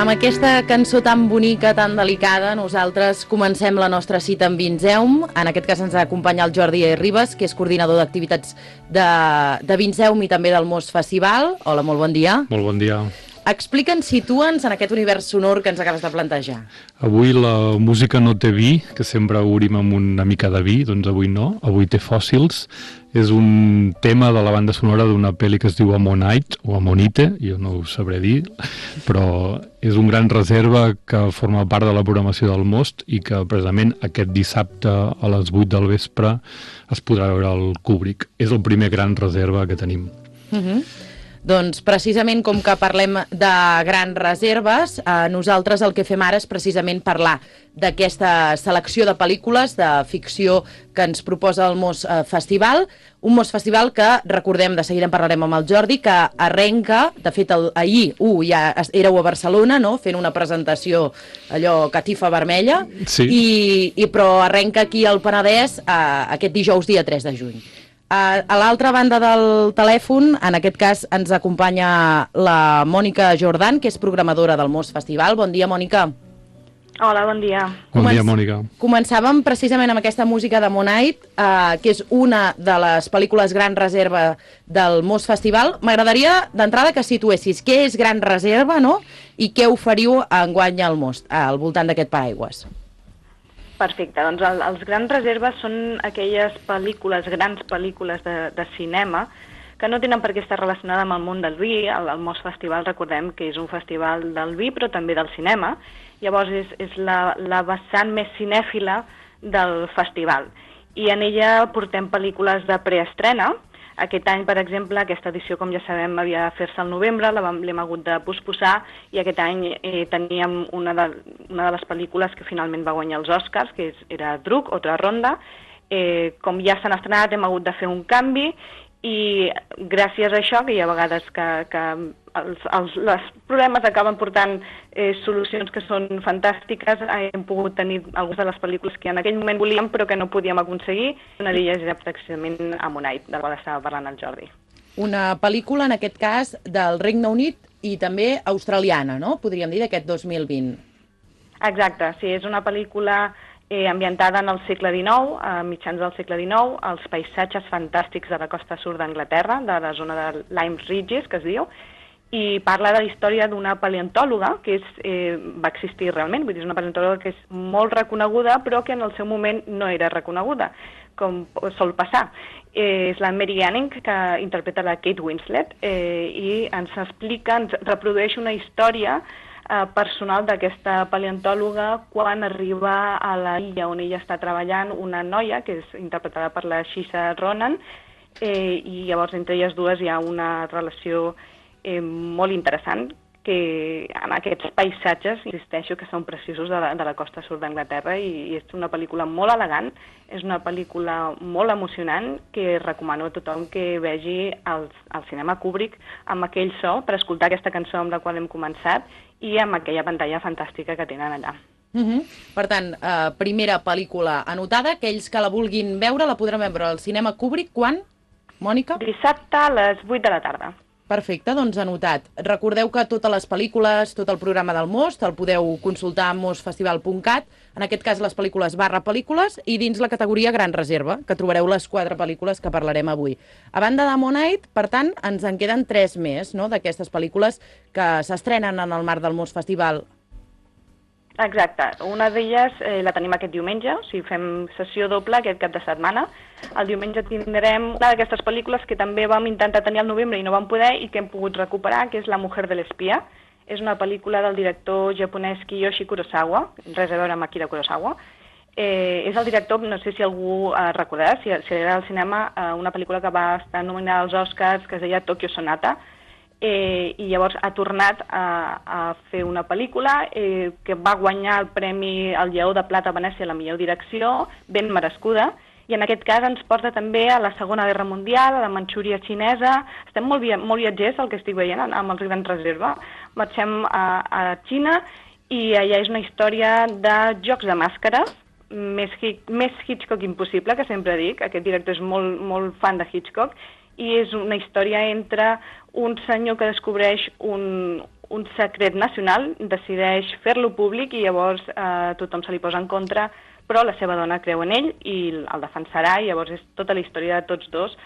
amb aquesta cançó tan bonica, tan delicada, nosaltres comencem la nostra cita amb Vinzeum. En aquest cas ens acompanya el Jordi Ribas, que és coordinador d'activitats de Vinzeum i també del Mos Festival. Hola, molt bon dia. Molt bon dia. Explica'ns, situa'ns en aquest univers sonor que ens acabes de plantejar. Avui la música no té vi, que sempre obrim amb una mica de vi, doncs avui no, avui té fòssils. És un tema de la banda sonora d'una pel·li que es diu Ammonite, o Ammonite, jo no ho sabré dir, però és un gran reserva que forma part de la programació del Most i que precisament aquest dissabte a les 8 del vespre es podrà veure al Kubrick. És el primer gran reserva que tenim. Doncs precisament com que parlem de grans reserves, nosaltres el que fem ara és precisament parlar d'aquesta selecció de pel·lícules de ficció que ens proposa el Mos Festival, un Mos Festival que, recordem, de seguida en parlarem amb el Jordi, que arrenca, de fet ahir ja éreu a Barcelona, no?, fent una presentació allò catifa vermella, sí. però arrenca aquí al Penedès aquest dijous dia 3 de juny. A l'altra banda del telèfon, en aquest cas, ens acompanya la Mònica Jordan, que és programadora del Mos Festival. Bon dia, Mònica. Hola, bon dia. Bon dia, Mònica. Començàvem precisament amb aquesta música de Ammonite, que és una de les pel·lícules Gran Reserva del Mos Festival. M'agradaria, d'entrada, que situessis què és Gran Reserva, no?, i què oferiu enguany al Mos, al voltant d'aquest paraigües. Perfecte, doncs els grans reserves són aquelles pel·lícules, grans pel·lícules de cinema que no tenen per què estar relacionades amb el món del vi. El Mos Festival, recordem que és un festival del vi però també del cinema, llavors és la vessant més cinèfila del festival i en ella portem pel·lícules de preestrena. Aquest any, per exemple, aquesta edició, com ja sabem, havia de fer-se al novembre, l'hem hagut de posposar, i aquest any teníem una de les pel·lícules que finalment va guanyar els Oscars, que era Druk, Otra Ronda. Com ja s'han estrenat, hem hagut de fer un canvi, i gràcies a això, que hi ha vegades que els problemes acaben portant solucions que són fantàstiques, hem pogut tenir algunes de les pel·lícules que en aquell moment volíem però que no podíem aconseguir. Una d'elles era precisament Ammonite, del qual estava parlant el Jordi. Una pel·lícula, en aquest cas, del Regne Unit i també australiana, no?, podríem dir, d'aquest 2020. Exacte, sí, és una pel·lícula ambientada en el segle XIX, a mitjans del segle XIX, els paisatges fantàstics de la costa sud d'Anglaterra, de la zona de Lyme Regis, que es diu, i parla de la història d'una paleontòloga que va existir realment, vull dir, és una paleontòloga que és molt reconeguda, però que en el seu moment no era reconeguda, com sol passar. És la Mary Anning, que interpreta la Kate Winslet, i ens explica, ens reprodueix una història personal d'aquesta paleontòloga quan arriba a la illa on ella està treballant una noia, que és interpretada per la Saoirse Ronan, i llavors entre elles dues hi ha una relació molt interessant, que en aquests paisatges, insisteixo, que són preciosos de la costa sud d'Anglaterra, i és una pel·lícula molt elegant, és una pel·lícula molt emocionant que recomano a tothom que vegi el cinema Kubrick amb aquell so, per escoltar aquesta cançó amb la qual hem començat, i amb aquella pantalla fantàstica que tenen allà. Per tant, primera pel·lícula anotada, aquells que la vulguin veure la podran veure al cinema Kubrick quan, Mònica? Dissabte a les 8 de la tarda. Perfecte, doncs anotat. Recordeu que totes les pel·lícules, tot el programa del Most, el podeu consultar a mosfestival.cat, en aquest cas les pel·lícules /pel·lícules, i dins la categoria Gran Reserva, que trobareu les 4 pel·lícules que parlarem avui. A banda d'Ammonite, per tant, ens en queden 3 més, no?, d'aquestes pel·lícules que s'estrenen en el marc del Most Festival. Exacte. Una d'elles la tenim aquest diumenge, o sigui, fem sessió doble aquest cap de setmana. El diumenge tindrem una d'aquestes pel·lícules que també vam intentar tenir al novembre i no vam poder i que hem pogut recuperar, que és La mujer de l'espia. És una pel·lícula del director japonès Kiyoshi Kurosawa, res a veure amb Akira Kurosawa. És el director, no sé si algú recordarà, si era al cinema, una pel·lícula que va estar nominada als Oscars, que es deia Tokyo Sonata, i llavors ha tornat a fer una pel·lícula que va guanyar el Premi al Lleó de Plata a Venècia a la millor direcció, ben merescuda, i en aquest cas ens porta també a la Segona Guerra Mundial, a la Manxúria xinesa. Estem molt viatgers, el que estic veient, amb els Grans Reserva. Marxem a Xina i allà és una història de jocs de màscares, més Hitchcock impossible, que sempre dic. Aquest director és molt fan de Hitchcock, i és una història entre un senyor que descobreix un secret nacional, decideix fer-lo públic i llavors tothom se li posa en contra, però la seva dona creu en ell i el defensarà, i llavors és tota la història de tots dos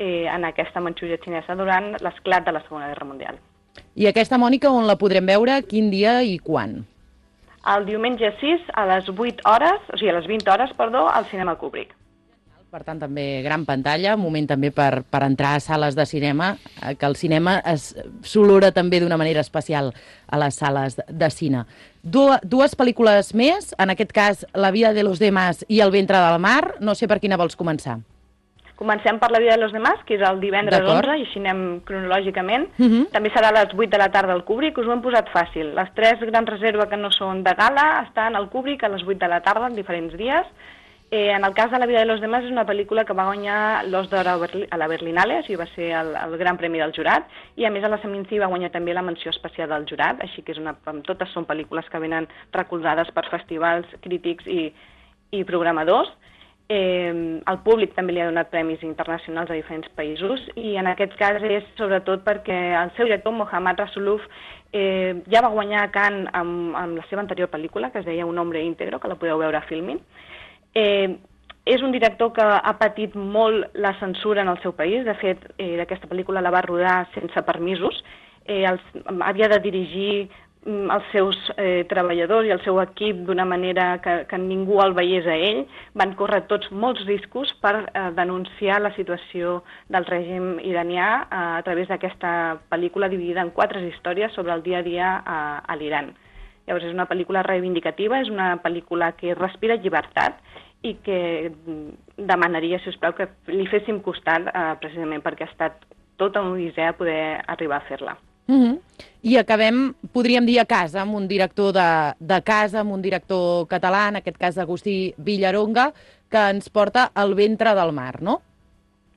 en aquesta Manxúria xinesa durant l'esclat de la Segona Guerra Mundial. I aquesta, Mònica, on la podrem veure, quin dia i quan? El diumenge 6 a les 8 hores, o sigui, a les 20 hores, perdó, al Cinema Kubrick. Per tant, també gran pantalla, un moment també per entrar a sales de cinema, que el cinema s'olora també d'una manera especial a les sales de cine. Dues pel·lícules més, en aquest cas La vida de los demás i El ventre del mar. No sé per quina vols començar. Comencem per La vida de los demás, que és el divendres 11, i així anem cronològicament. També serà a les 8 de la tarda al Kubrick, us ho hem posat fàcil. Les 3 grans reserves que no són de gala estan al Kubrick a les 8 de la tarda, en diferents dies. En el cas de La vida de los demás és una pel·lícula que va guanyar l'Os d'Or a la Berlinale, o sigui, va ser el gran premi del jurat, i a més a la Seminci va guanyar també la menció especial del jurat, així que totes són pel·lícules que venen recolzades per festivals, crítics i programadors. El públic també li ha donat premis internacionals a diferents països, i en aquest cas és sobretot perquè el seu director, Mohammad Rasuluf, ja va guanyar a Cannes amb la seva anterior pel·lícula, que es deia Un hombre íntegro, que la podeu veure a Filmin. És un director que ha patit molt la censura en el seu país. De fet, aquesta pel·lícula la va rodar sense permisos. Havia de dirigir els seus treballadors i el seu equip d'una manera que ningú el veiés a ell. Van córrer tots molts riscos per denunciar la situació del règim iranià a través d'aquesta pel·lícula dividida en 4 històries sobre el dia a dia a l'Iran. Llavors és una pel·lícula reivindicativa, és una pel·lícula que respira llibertat i que demanaria, si us plau, que li féssim costat precisament perquè ha estat tota una odissea poder arribar a fer-la. I acabem, podríem dir, a casa, amb un director de casa, amb un director català, en aquest cas Agustí Villaronga, que ens porta El ventre del mar, no?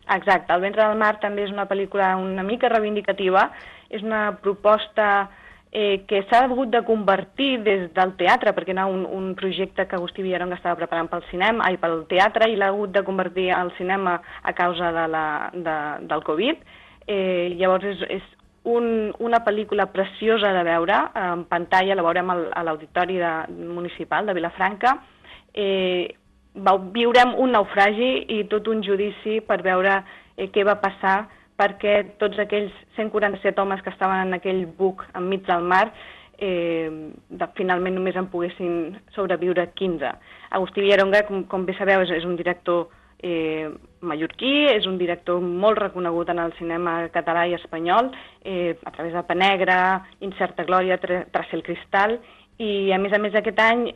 Exacte, El ventre del mar també és una pel·lícula una mica reivindicativa, és una proposta que s'ha hagut de convertir des del teatre, perquè era un projecte que Agustí Villaronga estava preparant pel teatre, i l'ha hagut de convertir al cinema a causa del Covid. Llavors és una pel·lícula preciosa de veure en pantalla, la veurem a l'Auditori Municipal de Vilafranca. Viurem un naufragi i tot un judici per veure què va passar perquè tots aquells 147 homes que estaven en aquell buc enmig del mar finalment només en poguessin sobreviure 15. Agustí Villaronga, com bé sabeu, és un director mallorquí, és un director molt reconegut en el cinema català i espanyol, a través de Penegra, Incerta Glòria, Trace el cristal, i a més aquest any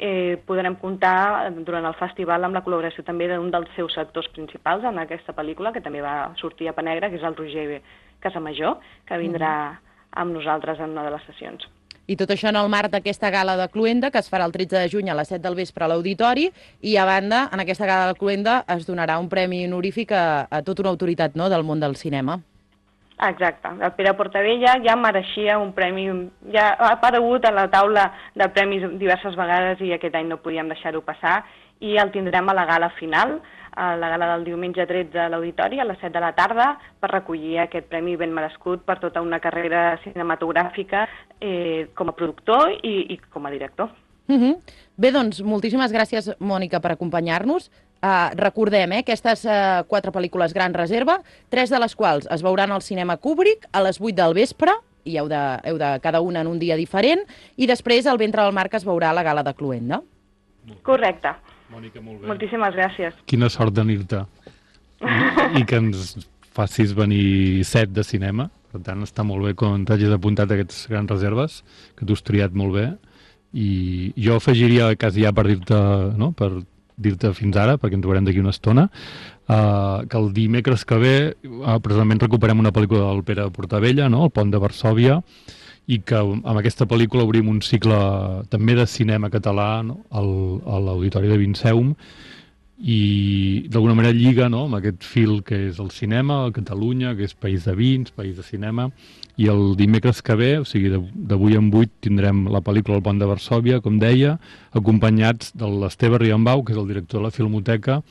podrem comptar durant el festival amb la col·laboració també d'un dels seus actors principals en aquesta pel·lícula, que també va sortir a Penegra, que és el Roger Casamajor, que vindrà amb nosaltres en una de les sessions. I tot això en el marc d'aquesta gala de Cluenda, que es farà el 13 de juny a les 7 del vespre a l'Auditori, i a banda, en aquesta gala de Cluenda es donarà un premi honorífic a tota una autoritat, no?, del món del cinema. Exacte. El Pere Portabella ja mereixia un premi, ja ha aparegut a la taula de premis diverses vegades i aquest any no podíem deixar-ho passar, i el tindrem a la gala final, a la gala del diumenge 13 a l'Auditori, a les 7 de la tarda, per recollir aquest premi ben merescut per tota una carrera cinematogràfica com a productor i com a director. Bé, doncs, moltíssimes gràcies, Mònica, per acompanyar-nos. Recordem, aquestes 4 pel·lícules Gran Reserva, 3 de les quals es veuran al cinema Kubrick a les 8 del vespre, i heu de cada una en un dia diferent, i després El ventre del mar, que es veurà a la gala de Cluenda. Correcte. Mònica, molt bé. Moltíssimes gràcies. Quina sort tenir-te. I que ens facis venir 7 de cinema. Per tant, està molt bé quan t'hagis apuntat aquestes Grans Reserves, que t'ho has triat molt bé. I jo afegiria quasi ja per dir-te fins ara, perquè ens veurem d'aquí una estona, que el dimecres que ve precisament recuperem una pel·lícula del Pere Portabella, no?, El pont de Varsòvia, i que amb aquesta pel·lícula obrim un cicle també de cinema català, no?, a l'Auditori de Vinceum, i d'alguna manera lliga, no?, amb aquest fil que és el cinema, a Catalunya, que és país de vins, país de cinema, i el dimecres que ve, o sigui, d'avui en 8, tindrem la pel·lícula El pont de Varsòvia, com deia, acompanyats de l'Esteve Riambau, que és el director de la Filmoteca,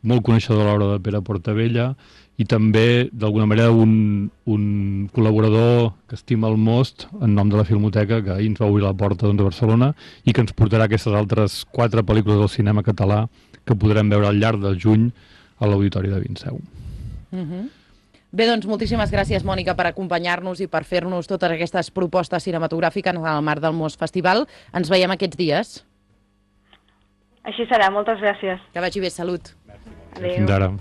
molt coneixedor a l'hora de Pere Portabella, i també, d'alguna manera, un col·laborador que estima el Most en nom de la Filmoteca, que ahir ens va obrir la porta a Barcelona i que ens portarà aquestes altres 4 pel·lícules del cinema català que podrem veure al llarg del juny a l'Auditori de Vinseu. Bé, doncs moltíssimes gràcies, Mònica, per acompanyar-nos i per fer-nos totes aquestes propostes cinematogràfiques en el marc del Most Festival. Ens veiem aquests dies. Així serà, moltes gràcies. Que vagi bé, salut. Adéu. Fins ara.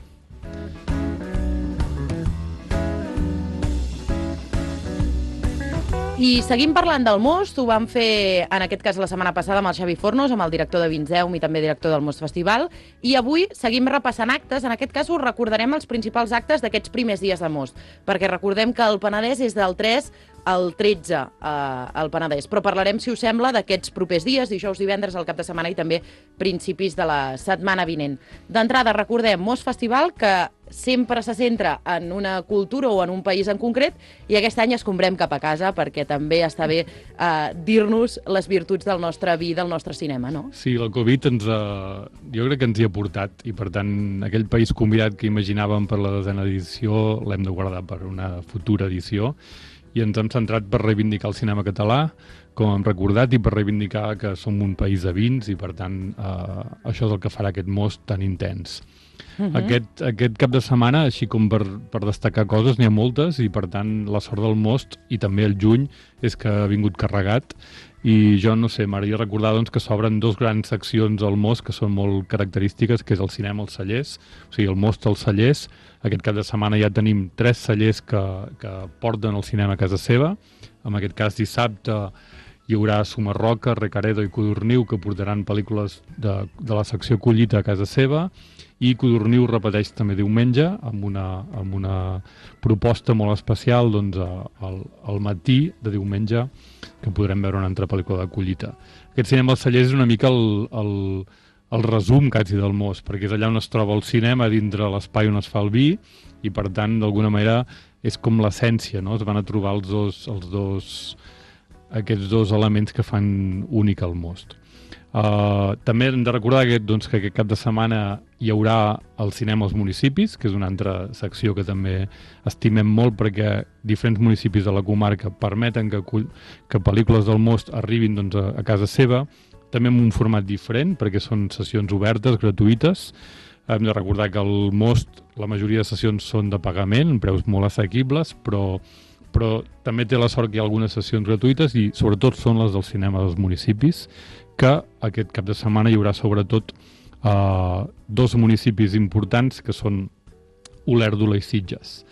I seguim parlant del Most, ho vam fer en aquest cas la setmana passada amb el Xavi Fornos, amb el director de Vinseum i també director del Most Festival, i avui seguim repassant actes. En aquest cas us recordarem els principals actes d'aquests primers dies de Most, perquè recordem que el Penedès és del 3 al 13 al Penedès, però parlarem, si us sembla, d'aquests propers dies, dijous, divendres, al cap de setmana i també principis de la setmana vinent. D'entrada, recordem, Most Festival, que sempre se centra en una cultura o en un país en concret, i aquest any escombrem cap a casa, perquè també està bé dir-nos les virtuts del nostre vi, del nostre cinema, no? Sí, la Covid jo crec que ens hi ha portat, i per tant aquell país convidat que imaginàvem per la 10a edició l'hem de guardar per una futura edició, i ens hem centrat per reivindicar el cinema català, com hem recordat, i per reivindicar que som un país de vins, i per tant això és el que farà aquest Most tan intens. Aquest cap de setmana, així com per destacar coses, n'hi ha moltes, i per tant la sort del Most, i també el juny, és que ha vingut carregat, i jo no sé, m'agradaria recordar doncs, que s'obren 2 grans seccions al Most que són molt característiques, que és el cinema als cellers, o sigui, el Most als cellers. Aquest cap de setmana ja tenim 3 cellers que porten el cinema a casa seva. En aquest cas, dissabte hi haurà Sumarroca, Recaredo i Codorniu, que portaran pel·lícules de la secció Collita a casa seva, i Codorniu repeteix també diumenge amb una proposta molt especial doncs, al matí de diumenge, que podrem veure una altra pel·lícula de Collita. Aquest cinema als cellers és una mica el resum quasi del Most, perquè és allà on es troba el cinema, dintre l'espai on es fa el vi, i per tant, d'alguna manera, és com l'essència, no? Es van a trobar aquests dos elements que fan únic el Most. També hem de recordar que aquest cap de setmana hi haurà el cinema als municipis, que és una altra secció que també estimem molt, perquè diferents municipis de la comarca permeten que pel·lícules del Most arribin doncs, a casa seva, també en un format diferent, perquè són sessions obertes, gratuïtes. Hem de recordar que al Most la majoria de sessions són de pagament, preus molt assequibles, però també té la sort que hi ha algunes sessions gratuïtes, i sobretot són les del cinema dels municipis, que aquest cap de setmana hi haurà sobretot 2 municipis importants, que són Olèrdola i Sitges.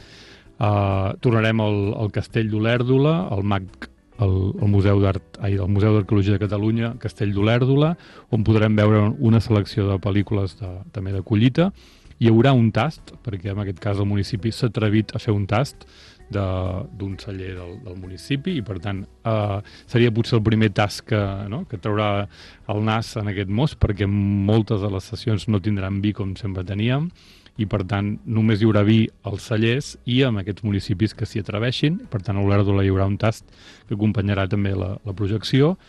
Tornarem al Castell d'Olèrdola, el Museu d'Arqueologia de Catalunya, Castell d'Olèrdola, on podrem veure una selecció de pel·lícules també de collita. Hi haurà un tast, perquè en aquest cas el municipi s'ha atrevit a fer un tast d'un celler del municipi, i per tant seria potser el primer tast que traurà el nas en aquest Most, perquè moltes de les sessions no tindran vi com sempre teníem, i per tant només hi haurà vi als cellers i en aquests municipis que s'hi atreveixin. Per tant a Olèrdola hi haurà un tast que acompanyarà també la projecció,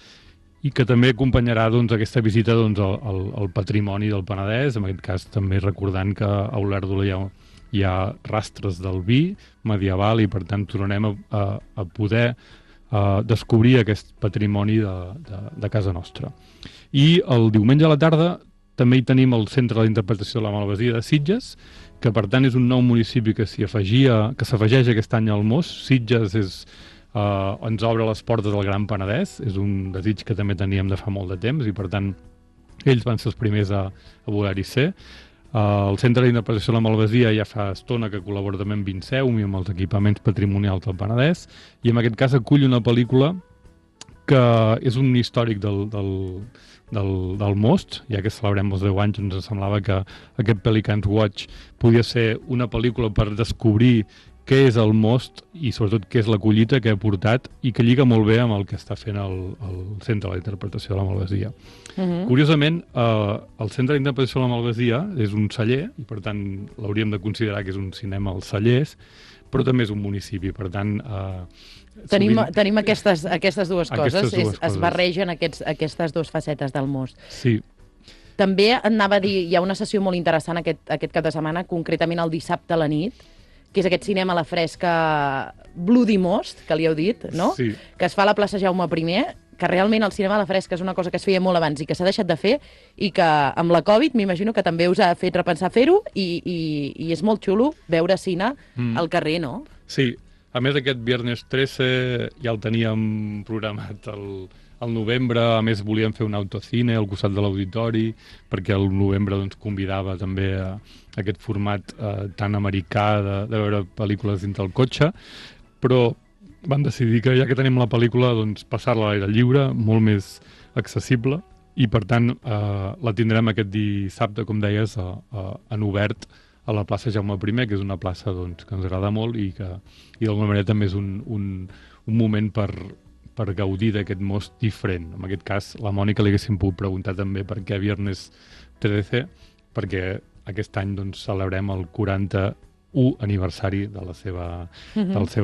i que també acompanyarà aquesta visita al patrimoni del Penedès, en aquest cas també recordant que a Olèrdola hi ha rastres del vi medieval, i per tant tornarem a poder descobrir aquest patrimoni de casa nostra. I el diumenge a la tarda també hi tenim el Centre d'Interpretació de la Malvasia de Sitges, que per tant és un nou municipi que s'afegeix aquest any al Most. Sitges ens obre les portes del Gran Penedès, és un desig que també teníem de fa molt de temps, i per tant ells van ser els primers a voler-hi ser. El Centre d'Interpretació de la Malvasia ja fa estona que col·labora també amb Vinseum i amb els equipaments patrimonials del Penedès, i en aquest cas acull una pel·lícula que és un històric del Most. Ja que celebrem els 10 anys, ens semblava que aquest Pelicans Watch podia ser una pel·lícula per descobrir què és el Most i sobretot què és la collita que ha portat, i que lliga molt bé amb el que està fent el Centre d'Interpretació de la Malvasia. Curiosament, el Centre d'Interpretació de la Malvasia és un celler, i per tant l'hauríem de considerar que és un cinema als cellers, però també és un municipi, per tant... Tenim aquestes dues coses, es barregen aquestes dues facetes del Most. Sí. També et anava a dir, hi ha una sessió molt interessant aquest cap de setmana, concretament el dissabte a la nit, que és aquest cinema a la fresca Bloody Most, que li heu dit, no? Sí. Que es fa a la plaça Jaume I, que realment el cinema a la fresca és una cosa que es feia molt abans i que s'ha deixat de fer, i que amb la Covid m'imagino que també us ha fet repensar fer-ho, i és molt xulo veure cine al carrer, no? Sí, a més aquest viernes 13 ja el teníem programat al novembre, a més volíem fer un autocine al costat de l'auditori, perquè el novembre doncs, convidava també a aquest format tan americà de veure pel·lícules dins del cotxe, però van decidir que ja que tenim la pel·lícula, doncs passar-la a l'aire lliure, molt més accessible, i per tant la tindrem aquest dissabte, com deies, en obert a la plaça Jaume I, que és una plaça doncs, que ens agrada molt i d'alguna manera també és un moment per gaudir d'aquest most diferent. En aquest cas, la Mònica li haguéssim pogut preguntar també per què viernes 13, perquè aquest any doncs, celebrem el 41 aniversari de la seva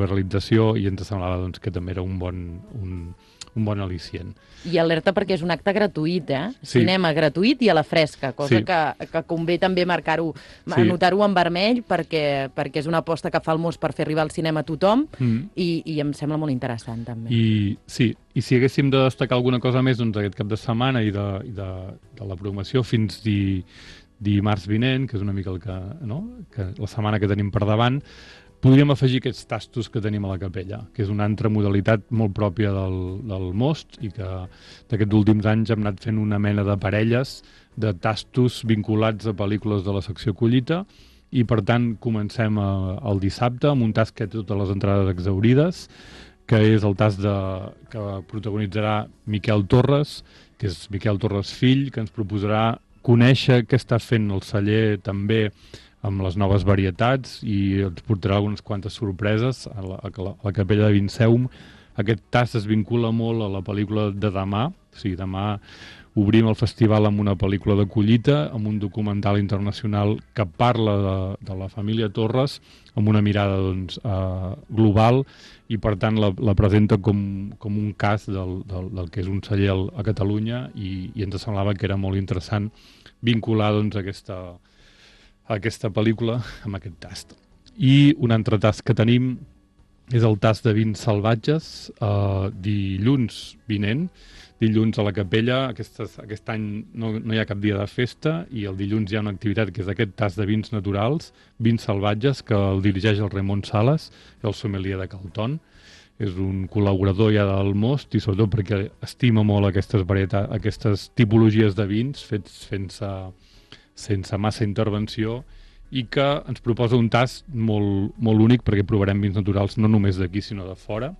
realització, i ens semblava doncs, que també era un bon al·licient. I alerta perquè és un acte gratuït, Sí. Cinema gratuït i a la fresca, cosa Sí. que convé també marcar-ho, anotar-ho en vermell, perquè és una aposta que fa el Most per fer arribar al cinema a tothom, i em sembla molt interessant també. I si haguéssim de destacar alguna cosa més doncs, aquest cap de setmana i de la programació fins dimarts vinent, que és una mica que la setmana que tenim per davant, podríem afegir aquests tastos que tenim a la capella, que és una altra modalitat molt pròpia del Most, i que d'aquests últims anys hem anat fent una mena de parelles de tastos vinculats a pel·lícules de la secció Collita, i per tant comencem el dissabte amb un tast que té totes les entrades exhaurides, que és el tast que protagonitzarà Miquel Torres, que és Miquel Torres fill, que ens proposarà conèixer què està fent el celler també amb les noves varietats, i ens portarà algunes quantes sorpreses a la capella de Vinceum. Aquest tast es vincula molt a la pel·lícula de demà, o sigui, demà obrim el festival amb una pel·lícula de collita, amb un documental internacional que parla de la família Torres, amb una mirada doncs, global, i per tant la presenta com un cas del que és un celler a Catalunya, i ens semblava que era molt interessant vincular doncs, aquesta pel·lícula amb aquest tast. I un altre tast que tenim és el tast de vins salvatges, dilluns vinent, dilluns a la capella. Aquest any no hi ha cap dia de festa, i el dilluns hi ha una activitat que és aquest tast de vins naturals, vins salvatges, que el dirigeix el Ramon Sales, el sommelier de Calton. És un col·laborador ja del Most, i sobretot perquè estima molt aquestes tipologies de vins fets sense massa intervenció, i que ens proposa un tast molt únic, perquè provarem vins naturals no només d'aquí sinó de fora,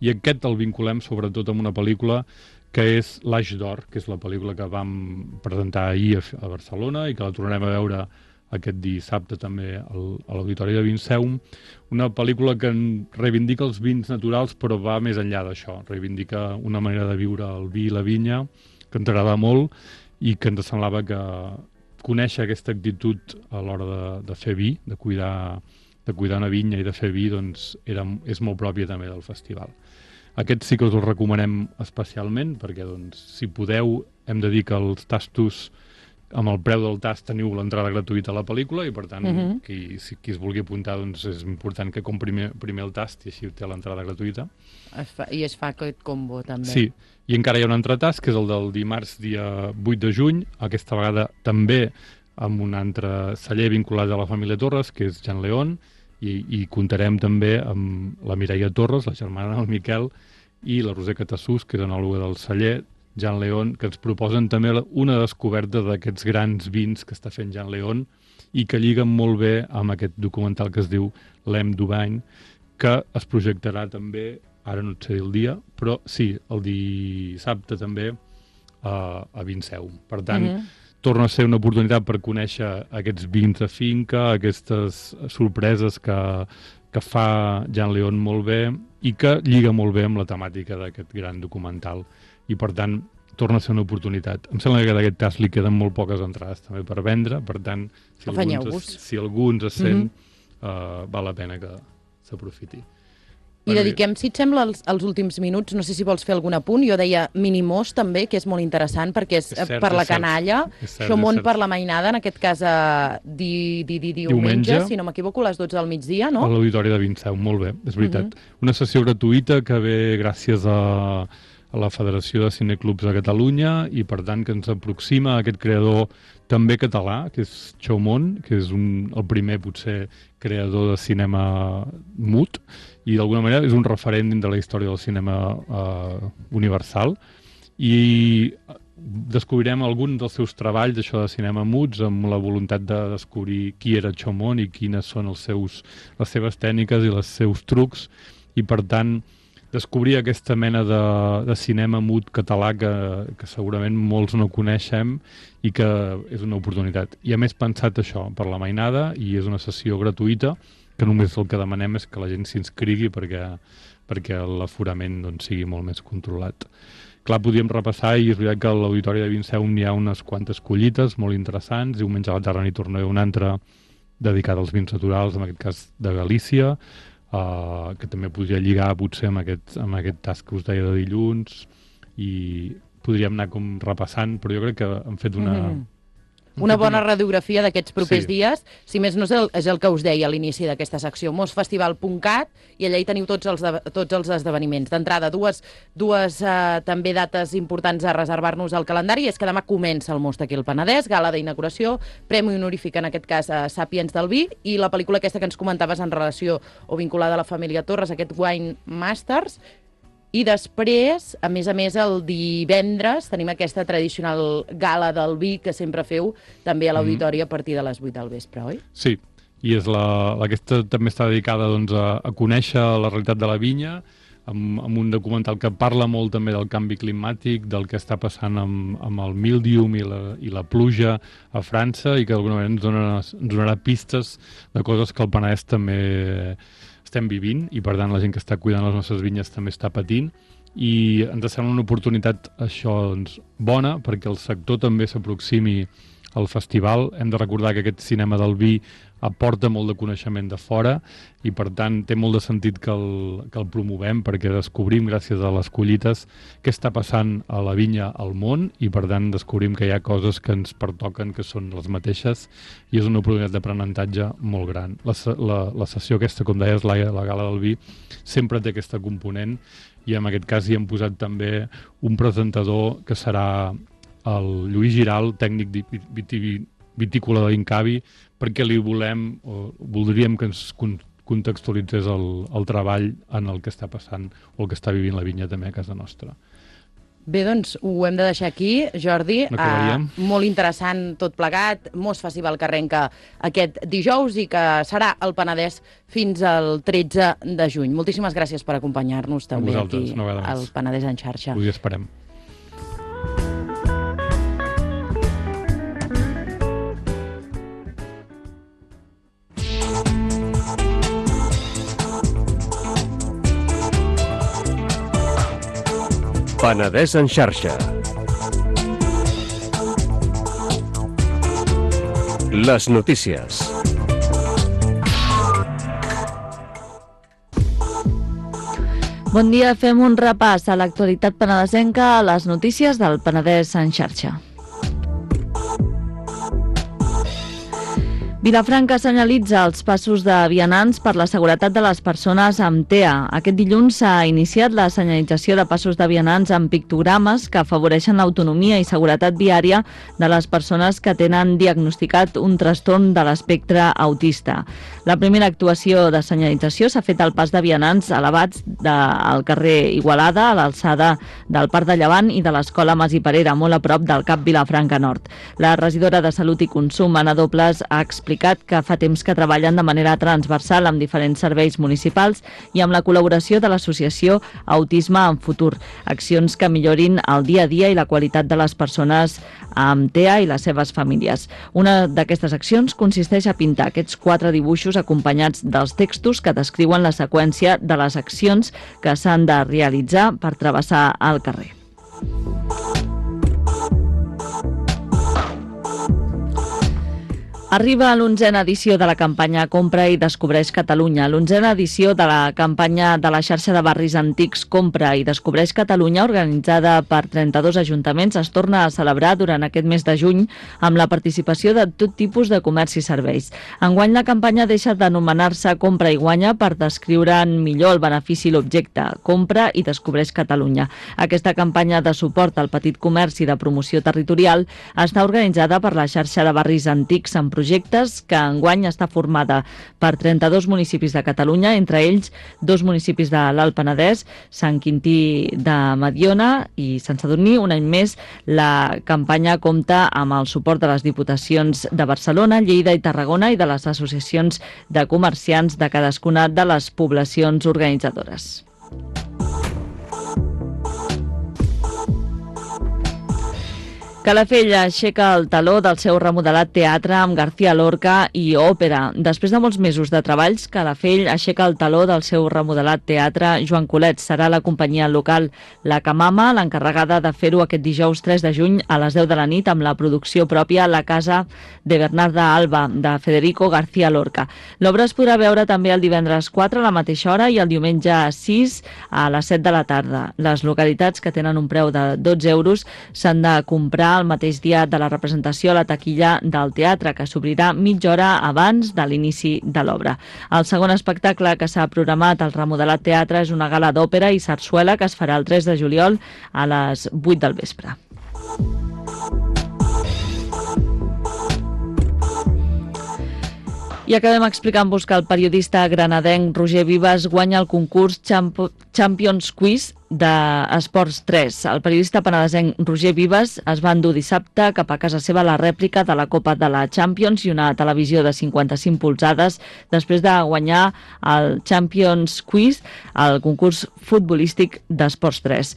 i aquest el vinculem sobretot amb una pel·lícula que és L'Aix d'Or, que és la pel·lícula que vam presentar ahir a Barcelona i que la tornarem a veure aquest dissabte també a l'Auditori de Vinceum, una pel·lícula que reivindica els vins naturals però va més enllà d'això, reivindica una manera de viure el vi i la vinya que ens agrada molt, i que ens semblava que conèixer aquesta actitud a l'hora de fer vi, de cuidar una vinya i de fer vi, doncs és molt pròpia també del festival. Aquest sí que us el recomanem especialment, perquè doncs, si podeu, hem de dir que els tastos, amb el preu del tast teniu l'entrada gratuïta a la pel·lícula, i per tant, qui es vulgui apuntar, doncs és important que compri primer el tast i així té l'entrada gratuïta. I es fa aquest combo també. Sí, i encara hi ha un altre tast, que és el del dimarts dia 8 de juny, aquesta vegada també amb un altre celler vinculat a la família Torres, que és Jan León, i comptarem també amb la Mireia Torres, la germana del Miquel, i la Roser Catassús, que és anòloga del celler Jan León, que ens proposen també una descoberta d'aquests grans vins que està fent Jan León, i que lliguen molt bé amb aquest documental que es diu L'Em d'Ubain, que es projectarà també, ara no et sé dir el dia, però sí, el dissabte també a Vinceum. Per tant, torna a ser una oportunitat per conèixer aquests vins de finca, aquestes sorpreses que fa Jan León molt bé i que lliga molt bé amb la temàtica d'aquest gran documental. I per tant, torna a ser una oportunitat. Em sembla que d'aquest cas li queden molt poques entrades també per vendre, per tant, si algú ens sent, val la pena que s'aprofiti. I dediquem, si et sembla, els últims minuts, no sé si vols fer algun apunt, jo deia Minimós també, que és molt interessant, perquè és cert, per la canalla, Xomón per la mainada, en aquest cas diumenge, si no m'equivoco, a les 12 del migdia, no? A l'Auditori de Vintseu, molt bé, és veritat. Una sessió gratuïta que ve gràcies a la Federació de Cineclubs de Catalunya i, per tant, que ens aproxima a aquest creador també català, que és Xomón, que és el primer, potser, creador de cinema mut, i d'alguna manera és un referent de la història del cinema universal, i descobrirem algun dels seus treballs, això de cinema muts, amb la voluntat de descobrir qui era Xomón i quines són les seves tècniques i els seus trucs, i, per tant, descobrir aquesta mena de cinema mut català que segurament molts no coneixem i que és una oportunitat. I a més pensat això, per la mainada, i és una sessió gratuïta, que només el que demanem és que la gent s'inscrigui perquè l'aforament sigui molt més controlat. Clar, podíem repassar, i és veritat que a l'Auditori de Vintseu hi ha unes quantes collites molt interessants. Diumenge a la tarda n'hi tornarà una altra dedicada als vins naturals, en aquest cas de Galícia, que també podria lligar potser amb aquest tas que us deia de dilluns, i podríem anar com repassant, però jo crec que hem fet una bona radiografia d'aquests propers dies. Si més no és el que us deia a l'inici d'aquesta secció, mosfestival.cat, i allà hi teniu tots els esdeveniments. D'entrada, dues també dates importants a reservar-nos al calendari, és que demà comença el Most aquí al Penedès, gala d'inauguració, premi honorífic en aquest cas a Sàpiens del Vi, i la pel·lícula aquesta que ens comentaves en relació o vinculada a la família Torres, aquest Wine Masters. I després, a més, el divendres tenim aquesta tradicional gala del vi que sempre feu també a l'Auditori a partir de les 8 del vespre, oi? Sí, i aquesta també està dedicada a conèixer la realitat de la vinya, amb un documental que parla molt també del canvi climàtic, del que està passant amb el míldium i la pluja a França, i que d'alguna manera ens donarà pistes de coses que el Penedès també estem vivint, i per tant la gent que està cuidant les nostres vinyes també està patint, i ens sembla una oportunitat això bona perquè el sector també s'aproximi al festival. Hem de recordar que aquest cinema del vi aporta molt de coneixement de fora, i per tant té molt de sentit que el promovem, perquè descobrim gràcies a les collites què està passant a la vinya al món, i per tant descobrim que hi ha coses que ens pertoquen que són les mateixes, i és una oportunitat d'aprenentatge molt gran. La sessió aquesta, com deies, la gala del vi, sempre té aquesta component, i en aquest cas hi hem posat també un presentador que serà el Lluís Giral, tècnic vitícola de l'Incavi, perquè voldríem que ens contextualitzés el treball en el que està passant o el que està vivint la vinya també a casa nostra. Bé, doncs ho hem de deixar aquí, Jordi. Molt interessant tot plegat. Most Festival que arrenca aquest dijous i que serà al Penedès fins al 13 de juny. Moltíssimes gràcies per acompanyar-nos també aquí al Penedès en xarxa. Avui esperem. Penedès en xarxa. Les notícies. Bon dia, fem un repàs a l'actualitat penedesenca a les notícies del Penedès en xarxa. Vilafranca senyalitza els passos de vianants per la seguretat de les persones amb TEA. Aquest dilluns s'ha iniciat la senyalització de passos de vianants amb pictogrames que afavoreixen l'autonomia i seguretat viària de les persones que tenen diagnosticat un trastorn de l'espectre autista. La primera actuació de senyalització s'ha fet al pas de vianants elevats al carrer Igualada, a l'alçada del Parc de Llevant i de l'Escola Mas i Parera, molt a prop del Cap Vilafranca Nord. La regidora de Salut i Consum, Anna Dobles, ha explicat que fa temps que treballen de manera transversal amb diferents serveis municipals i amb la col·laboració de l'associació Autisme en Futur, accions que millorin el dia a dia i la qualitat de les persones amb TEA i les seves famílies. Una d'aquestes accions consisteix a pintar aquests 4 dibuixos acompanyats dels textos que descriuen la seqüència de les accions que s'han de realitzar per travessar el carrer. Arriba l'11a edició de la campanya Compra i Descobreix Catalunya. L'11a edició de la campanya de la xarxa de barris antics Compra i Descobreix Catalunya, organitzada per 32 ajuntaments, es torna a celebrar durant aquest mes de juny amb la participació de tot tipus de comerç i serveis. Enguany la campanya deixa d'anomenar-se Compra i Guanya per descriure'n millor el benefici i l'objecte. Compra i Descobreix Catalunya. Aquesta campanya de suport al petit comerç i de promoció territorial està organitzada per la xarxa de barris antics en projectes que enguany està formada per 32 municipis de Catalunya, entre ells 2 municipis de l'Alt Penedès, Sant Quintí de Mediona i Sant Sadurní. Un any més, la campanya compta amb el suport de les diputacions de Barcelona, Lleida i Tarragona i de les associacions de comerciants de cadascuna de les poblacions organitzadores. Calafell aixeca el taló del seu remodelat teatre amb García Lorca i òpera. Després de molts mesos de treballs, Calafell aixeca el taló del seu remodelat teatre Joan Colet. Serà la companyia local La Camama l'encarregada de fer-ho aquest dijous 3 de juny a les 10 de la nit amb la producció pròpia La Casa de Bernarda Alba, de Federico García Lorca. L'obra es podrà veure també el divendres 4 a la mateixa hora i el diumenge 6 a les 7 de la tarda. Les localitats que tenen un preu de 12 euros s'han de comprar el mateix dia de la representació a la taquilla del teatre, que s'obrirà mitja hora abans de l'inici de l'obra. El segon espectacle que s'ha programat al remodelat teatre és una gala d'òpera i sarsuela que es farà el 3 de juliol a les 8 del vespre. I acabem explicant-vos que el periodista granadenc Roger Vives guanya el concurs Champions Quiz d'Esports 3. El periodista penedesenc Roger Vives es va endur dissabte cap a casa seva la rèplica de la Copa de la Champions i una televisió de 55 polzades després de guanyar el Champions Quiz, el concurs futbolístic d'Esports 3.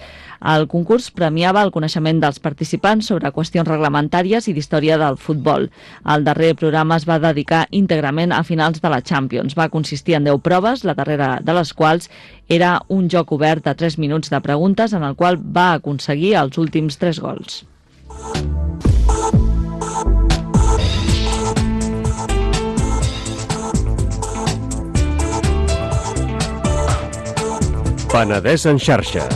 El concurs premiava el coneixement dels participants sobre qüestions reglamentàries i d'història del futbol. El darrer programa es va dedicar íntegrament a finals de la Champions. Va consistir en 10 proves, la darrera de les quals era un joc obert de 3 minuts de preguntes en el qual va aconseguir els últims 3 gols. Penedès en xarxa.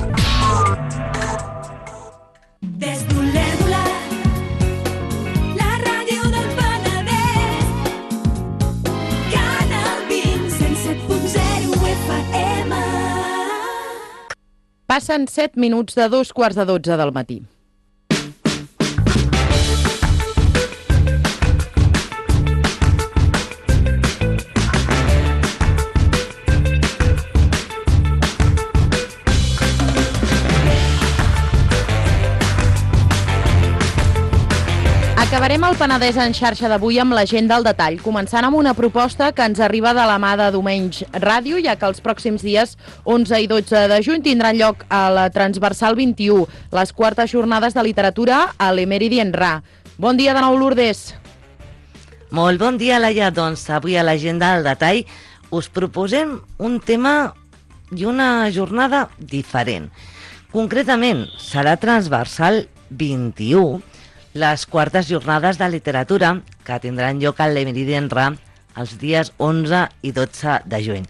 Passen 7 minuts de 2:15 del matí. Acabarem el Penedès en xarxa d'avui amb l'agenda al detall, començant amb una proposta que ens arriba de la mà de Domenys Ràdio, ja que els pròxims dies 11 i 12 de juny tindran lloc a la Transversal 21, les quartes jornades de literatura a l'Emeridi Ra. Bon dia de nou, Lourdes. Molt bon dia, Laia. Doncs avui a l'agenda al detall us proposem un tema i una jornada diferent. Concretament, serà Transversal 21, les quartes jornades de literatura que tindran lloc a l'Emeridi Ra els dies 11 i 12 de juny.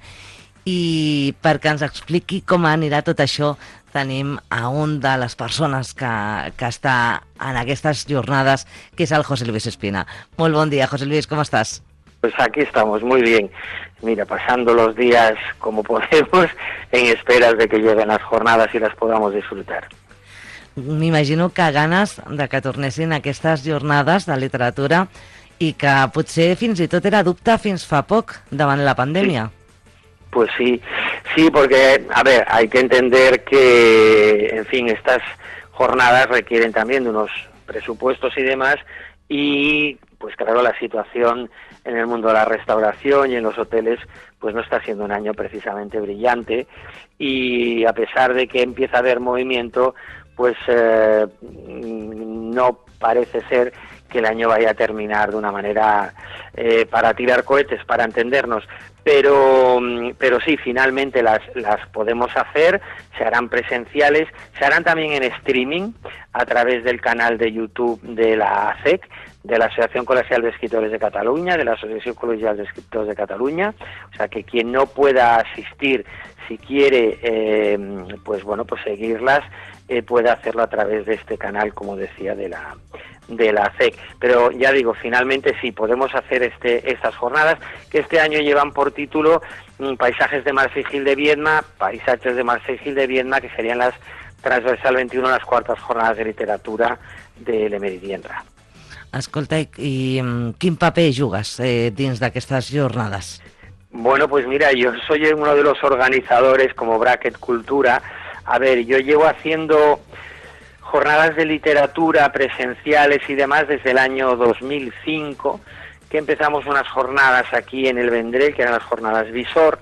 I perquè ens expliqui com anirà tot això, tenim a un de les persones que està en aquestes jornades, que és el José Luis Espina. Molt bon dia, José Luis, ¿cómo estás? Pues aquí estamos, muy bien. Mira, pasando los días como podemos, en esperas de que lleguen las jornadas y las podamos disfrutar. M'imagino que ganes de que tornessin aquestes jornades de literatura i que potser fins i tot era dubte fins fa poc davant la pandèmia. Pues sí, porque, a ver, hay que entender que, en fin, estas jornadas requieren también de unos presupuestos y demás, y pues claro, la situación en el mundo de la restauración y en los hoteles pues no está siendo un año precisamente brillante, y a pesar de que empieza a haber movimiento, pues no parece ser que el año vaya a terminar de una manera para tirar cohetes, para entendernos, pero sí, finalmente las podemos hacer, se harán presenciales, se harán también en streaming a través del canal de YouTube de la ACEC, de la Asociación Colegial de Escritores de Cataluña, de la Asociación Colegial de Escritores de Cataluña, o sea que quien no pueda asistir, si quiere, pues bueno, pues seguirlas, puede hacerlo a través de este canal, como decía, de la CEC. Pero ya digo, finalmente sí, podemos hacer estas jornadas, que este año llevan por título Paisajes de Mercè i Gil de Viedma, Paisajes de Mercè i Gil de Viedma, que serían las transversal 21, las cuartas jornadas de literatura de Le Méridien Rap. Escolta, i quin paper jugues dins d'aquestes jornades? Bueno, pues mira, yo soy uno de los organizadores como Bracket Cultura. A ver, yo llevo haciendo jornadas de literatura presenciales y demás desde el año 2005, que empezamos unas jornadas aquí en el Vendrell, que eran las jornadas Visor.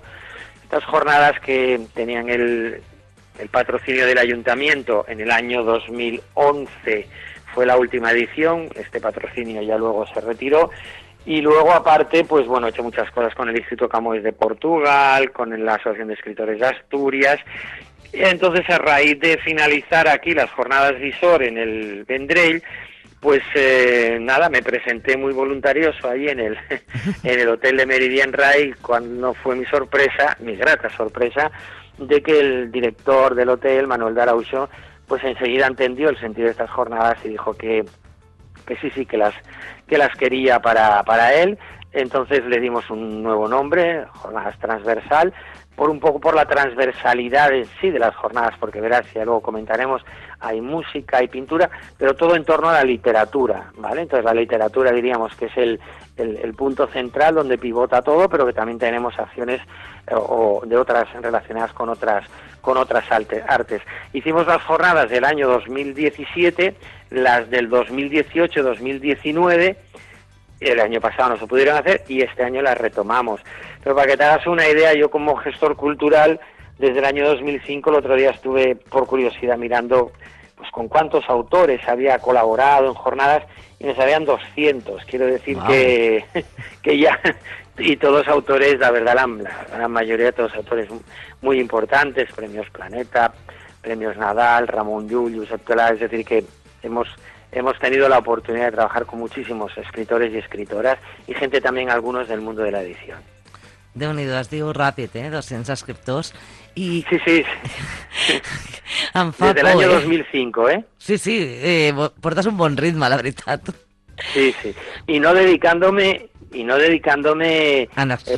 Estas jornadas que tenían el patrocinio del ayuntamiento en el año 2011 fue la última edición, este patrocinio ya luego se retiró, y luego aparte, pues bueno, he hecho muchas cosas con el Instituto Camões de Portugal, con la Asociación de Escritores de Asturias. Entonces, a raíz de finalizar aquí las jornadas Visor en el Vendrell, pues nada, me presenté muy voluntarioso ahí en el Hotel de Méridien Ray, cuando fue mi sorpresa, mi grata sorpresa, de que el director del hotel, Manuel de Arauxo, pues enseguida entendió el sentido de estas jornadas y dijo que sí, que las quería para él. Entonces le dimos un nuevo nombre, Jornadas Transversal, un poco por la transversalidad en sí de las jornadas, porque verás, ya luego comentaremos, hay música, hay pintura, pero todo en torno a la literatura, ¿vale? Entonces la literatura diríamos que es el punto central donde pivota todo, pero que también tenemos acciones o de otras relacionadas con otras artes. Hicimos las jornadas del año 2017, las del 2018-2019, el año pasado no se pudieron hacer y este año las retomamos. Pero para que te hagas una idea, yo como gestor cultural, desde el año 2005, el otro día estuve por curiosidad mirando pues con cuántos autores había colaborado en jornadas y me salían 200. Quiero decir que ya, y todos autores, la verdad, la gran mayoría de todos autores muy importantes, premios Planeta, premios Nadal, Ramón Llull, Josep Pla, es decir que hemos tenido la oportunidad de trabajar con muchísimos escritores y escritoras y gente también, algunos del mundo de la edición. Déu-n'hi-do, es diu ràpid, 200 escriptors. I... Sí. Em fa Desde el año 2005, Sí, portes un bon ritme, la veritat. Sí. Y no dedicándome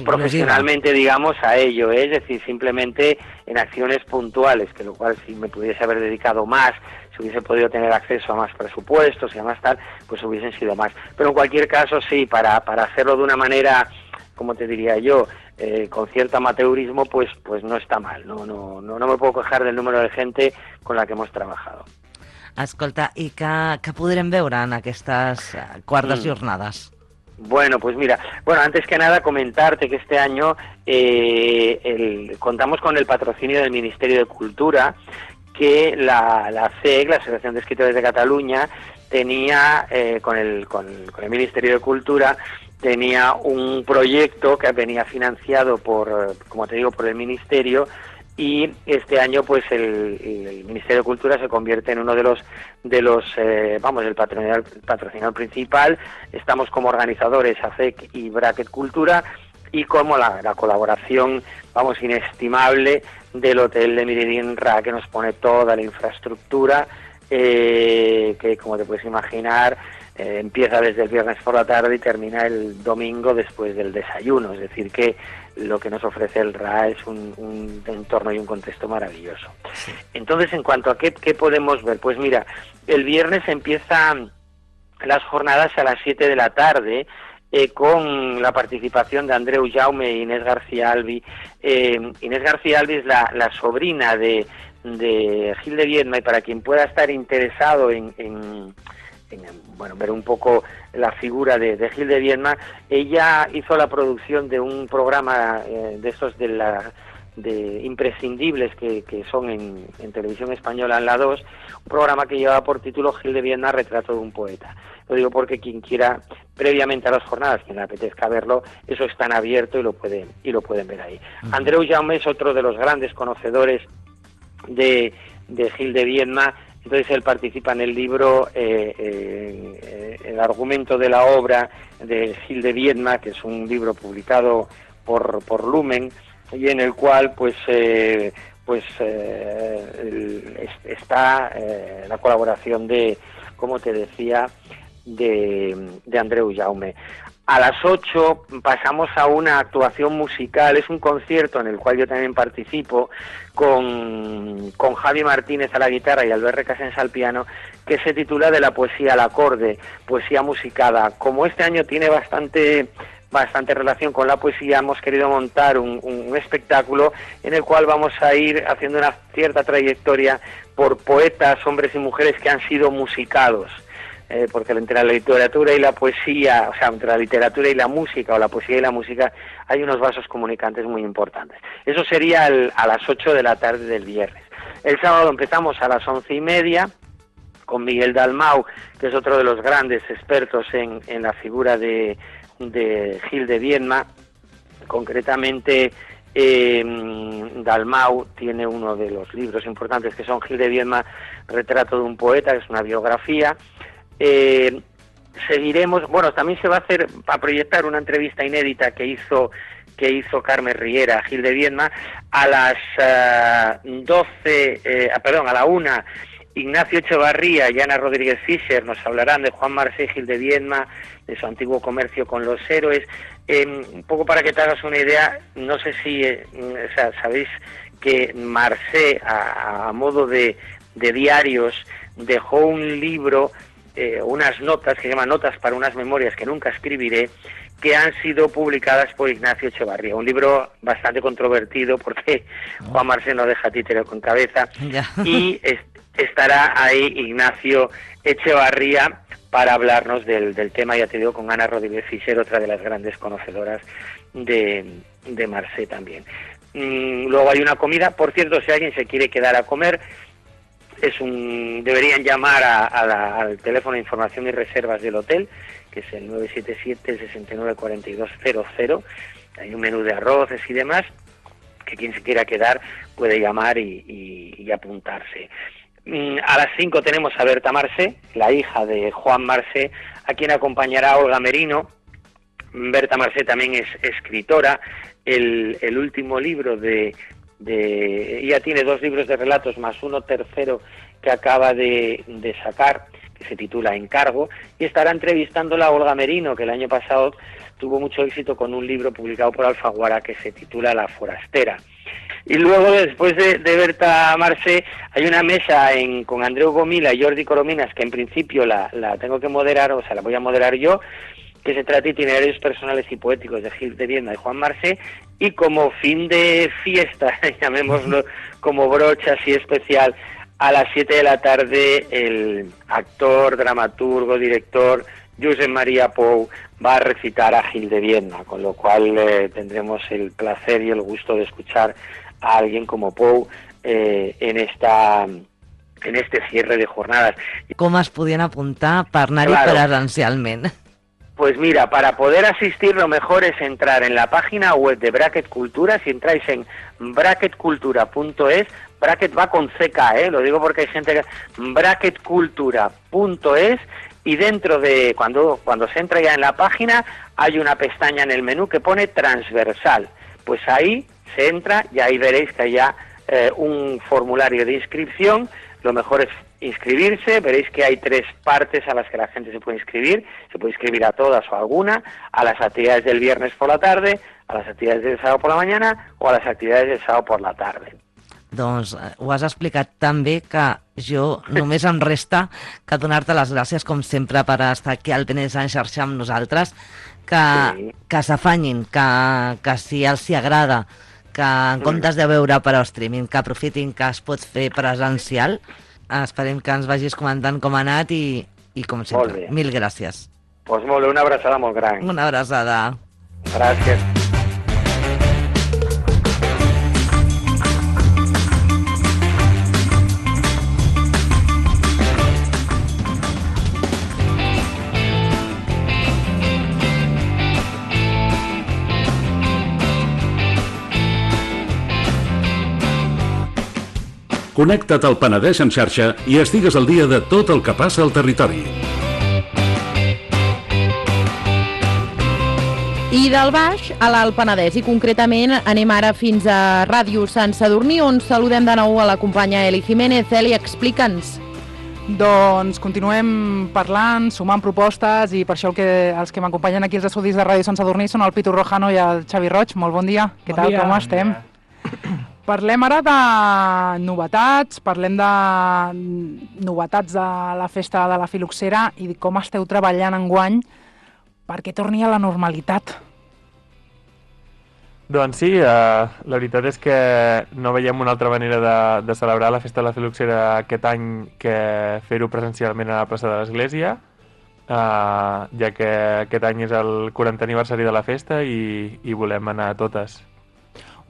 profesionalmente, digamos, a ello, es decir, simplemente en acciones puntuales, que lo cual si me pudiese haber dedicado más, si hubiese podido tener acceso a más presupuestos y a más tal, pues hubiesen sido más. Pero en cualquier caso, sí, para hacerlo de una manera, como te diría yo, con cierto amateurismo, pues no está mal. No me puedo quejar del número de gente con la que hemos trabajado. Escolta, i què podrem veure en aquestes quartes jornades? Bueno, pues mira, antes que nada comentarte que este año contamos con el patrocinio del Ministerio de Cultura, que la CEC, la Asociación de Escritores de Cataluña, tenía con el Ministerio de Cultura, tenía un proyecto que venía financiado por el Ministerio, y este año pues el Ministerio de Cultura se convierte en uno de los el patrocinador principal. Estamos como organizadores ACEC y Bracket Cultura, y como la colaboración inestimable del Hotel de Méridien Ray, que nos pone toda la infraestructura, que como te puedes imaginar empieza desde el viernes por la tarde y termina el domingo después del desayuno. Es decir que lo que nos ofrece el RA es un entorno y un contexto maravilloso. Entonces, en cuanto a qué podemos ver, pues mira, el viernes empiezan las jornadas a las 7 de la tarde, con la participación de Andreu Jaume e Inés García Albi. Inés García Albi es la sobrina de Gil de Viedma, y para quien pueda estar interesado en ver un poco la figura de Gil de Viedma, ella hizo la producción de un programa de estos de imprescindibles que son en televisión española, en la 2, un programa que llevaba por título Gil de Viedma, retrato de un poeta. Lo digo porque quien quiera, previamente a las jornadas, quien le apetezca verlo, eso está en abierto y lo pueden ver ahí. Andreu Jaume es otro de los grandes conocedores de Gil de Viedma, Entonces él participa en el libro, el argumento de la obra de Gil de Viedma, que es un libro publicado por Lumen, y en el cual está la colaboración de, como te decía, de Andreu Jaume. A las 8 pasamos a una actuación musical, es un concierto en el cual yo también participo con Javi Martínez a la guitarra y Albert Recasens al piano, que se titula De la poesía al acorde, poesía musicada. Como este año tiene bastante relación con la poesía, hemos querido montar un espectáculo en el cual vamos a ir haciendo una cierta trayectoria por poetas, hombres y mujeres que han sido musicados. Porque entre la literatura y la poesía, o sea, entre la literatura y la música, o la poesía y la música, hay unos vasos comunicantes muy importantes. Eso sería a las 8 de la tarde del viernes. El sábado empezamos a las 11:30 con Miguel Dalmau, que es otro de los grandes expertos en la figura de Gil de Viedma. Concretamente, Dalmau tiene uno de los libros importantes que son Gil de Viedma, Retrato de un poeta, que es una biografía. Seguiremos, bueno, también se va a proyectar una entrevista inédita que hizo Carmen Riera a Gil de Viedma. A las 1:00, Ignacio Echevarría y Ana Rodríguez Fischer nos hablarán de Juan Marsé y Gil de Viedma, de su antiguo comercio con los héroes. Un poco para que te hagas una idea, no sé si sabéis que Marsé, a modo de diarios, dejó un libro, unas notas que se llaman Notas para unas memorias que nunca escribiré, que han sido publicadas por Ignacio Echevarría. Un libro bastante controvertido porque Juan Marsé no deja títere con cabeza. Y estará ahí Ignacio Echevarría para hablarnos del tema, ya te digo, con Ana Rodríguez Fischer, otra de las grandes conocedoras de Marsé también. Luego hay una comida. Por cierto, si alguien se quiere quedar a comer, deberían llamar al teléfono de información y reservas del hotel, que es el 977-694200. Hay un menú de arroces y demás, que quien se quiera quedar puede llamar y apuntarse. A las 5 tenemos a Berta Marsé, la hija de Juan Marsé, a quien acompañará Olga Merino. Berta Marsé también es escritora. El último libro ella tiene 2 libros de relatos más uno tercero que acaba de sacar, que se titula Encargo, y estará entrevistándola a Olga Merino, que el año pasado tuvo mucho éxito con un libro publicado por Alfaguara que se titula La forastera. Y luego, después de Berta Marsé, hay una mesa con Andreu Gomila y Jordi Corominas, que en principio la tengo que moderar, o sea, la voy a moderar yo, que se trata de itinerarios personales y poéticos de Gil de Viedma y Juan Marsé, y como fin de fiesta, llamémoslo como broche así especial, a las 7 de la tarde el actor, dramaturgo, director Josep Maria Pou va a recitar a Gil de Viedma, con lo cual tendremos el placer y el gusto de escuchar a alguien como Pou en este cierre de jornadas. Com es podien apuntar per anar-hi presencialment? Pues mira, para poder asistir lo mejor es entrar en la página web de Bracket Cultura. Si entráis en bracketcultura.es, Bracket va con CK, lo digo porque hay gente que... bracketcultura.es, y dentro de, cuando se entra ya en la página, hay una pestaña en el menú que pone transversal. Pues ahí se entra y ahí veréis que hay ya un formulario de inscripción. Lo mejor es inscribirse. Veréis que hay 3 partes a las que la gente se puede inscribir. Se puede inscribir a todas o a alguna, a las actividades del viernes por la tarde, a las actividades del sábado por la mañana o a las actividades del sábado por la tarde. Doncs ho has explicat tan bé que jo només em resta que donar-te les gràcies, com sempre, per estar aquí al Benes en xarxa amb nosaltres, que s'afanyin, que si els hi agrada, que en comptes de veure per streaming, que aprofitin que es pot fer presencial. Esperem que ens vagis comentant com ha anat i com sempre, mil gràcies. Pues molt bé, una abraçada molt gran. Una abraçada. Gràcies. Connecta't al Penedès en xarxa i estigues al dia de tot el que passa al territori. I del Baix a l'Alt Penedès, i concretament anem ara fins a Ràdio Sant Sadurní, on saludem de nou a la companya Eli Jiménez. Eli, explica'ns. Doncs continuem parlant, sumant propostes, i per això els que m'acompanyen aquí als estudis de Ràdio Sant Sadurní són el Pitu Rojano i el Xavi Roig. Molt bon dia. Què tal, com estem? Parlem ara de novetats, parlem de novetats de la festa de la Filoxera i com esteu treballant enguany perquè torni a la normalitat. Doncs sí, la veritat és que no veiem una altra manera de celebrar la festa de la Filoxera aquest any que fer-ho presencialment a la plaça de l'Església, ja que aquest any és el 40 aniversari de la festa i volem anar a totes.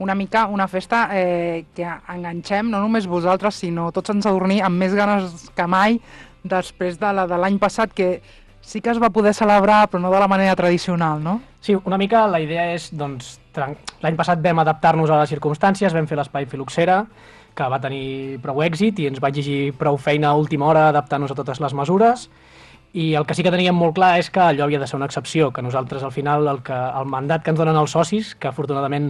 Una mica una festa que enganxem, no només vosaltres, sinó tots ens adormir amb més ganes que mai després de la de l'any passat, que sí que es va poder celebrar, però no de la manera tradicional, no? Sí, una mica la idea és, doncs, l'any passat vam adaptar-nos a les circumstàncies, vam fer l'espai Filoxera, que va tenir prou èxit i ens va exigir prou feina a última hora adaptar-nos a totes les mesures, i el que sí que teníem molt clar és que allò havia de ser una excepció, que nosaltres al final el mandat que ens donen els socis, que afortunadament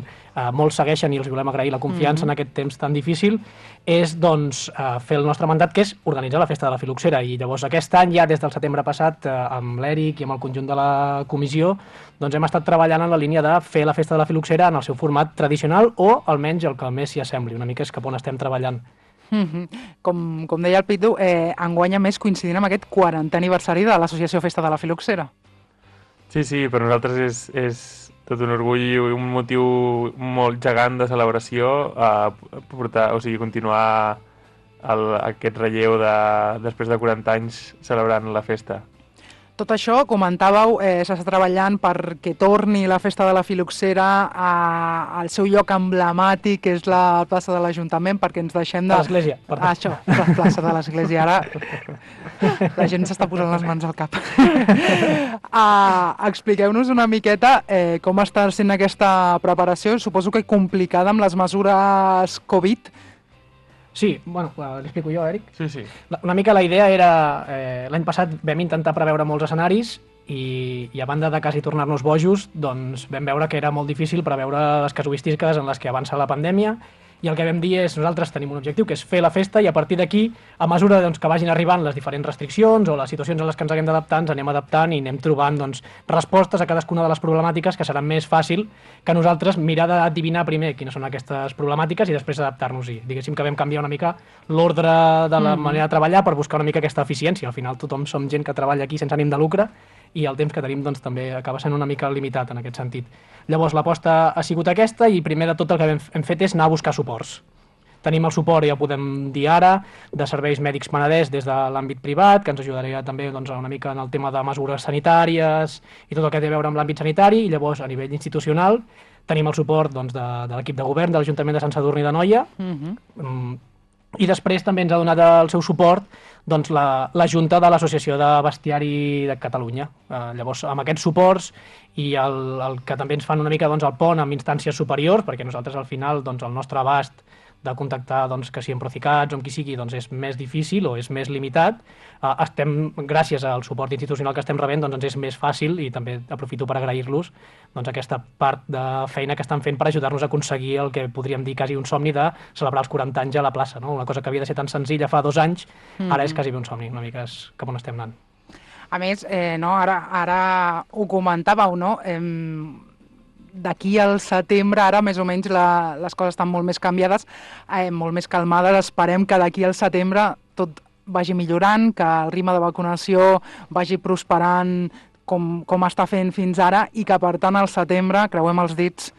molts segueixen i els volem agrair la confiança en aquest temps tan difícil, és doncs fer el nostre mandat, que és organitzar la festa de la Filoxera. I llavors aquest any, ja des del setembre passat, amb l'Eric i amb el conjunt de la comissió, doncs hem estat treballant en la línia de fer la festa de la Filoxera en el seu format tradicional, o almenys el que més s'hi assembli. Una mica és cap on estem treballant. Com deia el Pitu, enguany a més coincidint amb aquest 40è aniversari de l'Associació Festa de la Filoxera. Sí, per nosaltres és tot un orgull i un motiu molt gegant de celebració continuar aquest relleu després de 40 anys celebrant la festa. Tot això, comentàveu, s'està treballant perquè torni la festa de la Filoxera al seu lloc emblemàtic, que és la plaça de l'Ajuntament, perquè ens deixem de... L'església, perdó. Això, la plaça de l'església. Ara la gent s'està posant les mans al cap. Expliqueu-nos una miqueta com està sent aquesta preparació, suposo que complicada amb les mesures Covid. Sí, bueno, l'explico jo, Eric. Sí. Una mica la idea era, l'any passat vam intentar preveure molts escenaris i a banda de quasi tornar-nos bojos, doncs vam veure que era molt difícil preveure les casuístiques en les que avança la pandèmia, i el que vam dir és, nosaltres tenim un objectiu, que és fer la festa, i a partir d'aquí, a mesura que vagin arribant les diferents restriccions o les situacions a les que ens haguem d'adaptar, ens anem adaptant i anem trobant respostes a cadascuna de les problemàtiques, que serà més fàcil que nosaltres mirar d'adivinar primer quines són aquestes problemàtiques i després adaptar-nos-hi. Diguéssim que vam canviar una mica l'ordre de la manera de treballar per buscar una mica aquesta eficiència. Al final tothom som gent que treballa aquí sense ànim de lucre, i el temps que tenim doncs, també acaba sent una mica limitat en aquest sentit. Llavors l'aposta ha sigut aquesta, i primer de tot el que hem fet és anar a buscar suports. Tenim el suport, ja ho podem dir ara, de serveis mèdics Penedès des de l'àmbit privat, que ens ajudaria també una mica en el tema de mesures sanitàries i tot el que té a veure amb l'àmbit sanitari, i llavors a nivell institucional tenim el suport de l'equip de govern de l'Ajuntament de Sant Sadurní d'Anoia, i després també ens ha donat el seu suport la Junta de l'Associació de Bestiari de Catalunya. Llavors, amb aquests suports i el que també ens fan una mica el pont amb instàncies superiors, perquè nosaltres al final el nostre abast de contactar que si amb Procicats o amb qui sigui és més difícil o és més limitat, gràcies al suport institucional que estem rebent, ens és més fàcil, i també aprofito per agrair-los aquesta part de feina que estan fent per ajudar-nos a aconseguir el que podríem dir quasi un somni de celebrar els 40 anys a la plaça, no? Una cosa que havia de ser tan senzilla fa 2 anys, ara és quasi un somni, una mica és cap on estem anant. A més, ara ho comentàveu, no? D'aquí al setembre, ara més o menys les coses estan molt més canviades, molt més calmades. Esperem que d'aquí al setembre tot vagi millorant, que el ritme de vacunació vagi prosperant com està fent fins ara, i que per tant al setembre, creuem els dits,